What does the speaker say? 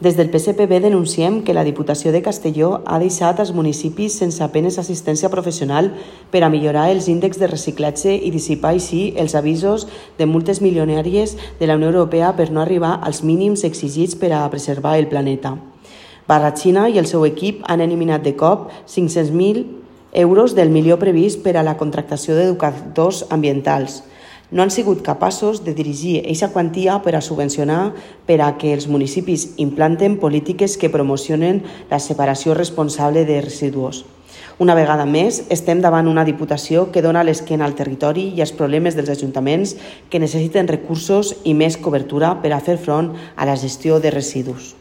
Des del PSPB denunciem que la Diputació de Castelló ha deixat els municipis sense apenes assistència professional per a millorar els índexs de reciclatge i dissipar així els avisos de multes milionàries de la Unió Europea per no arribar als mínims exigits per a preservar el planeta. Barrachina i el seu equip han eliminat de cop 500.000 euros del milió previst per a la contractació d'educadors ambientals. No han sigut capaços de dirigir aquesta quantia per a subvencionar per a que els municipis implanten polítiques que promocionen la separació responsable de residus. Una vegada més, estem davant una Diputació que dona l'esquena al territori i als problemes dels ajuntaments que necessiten recursos i més cobertura per a fer front a la gestió de residus.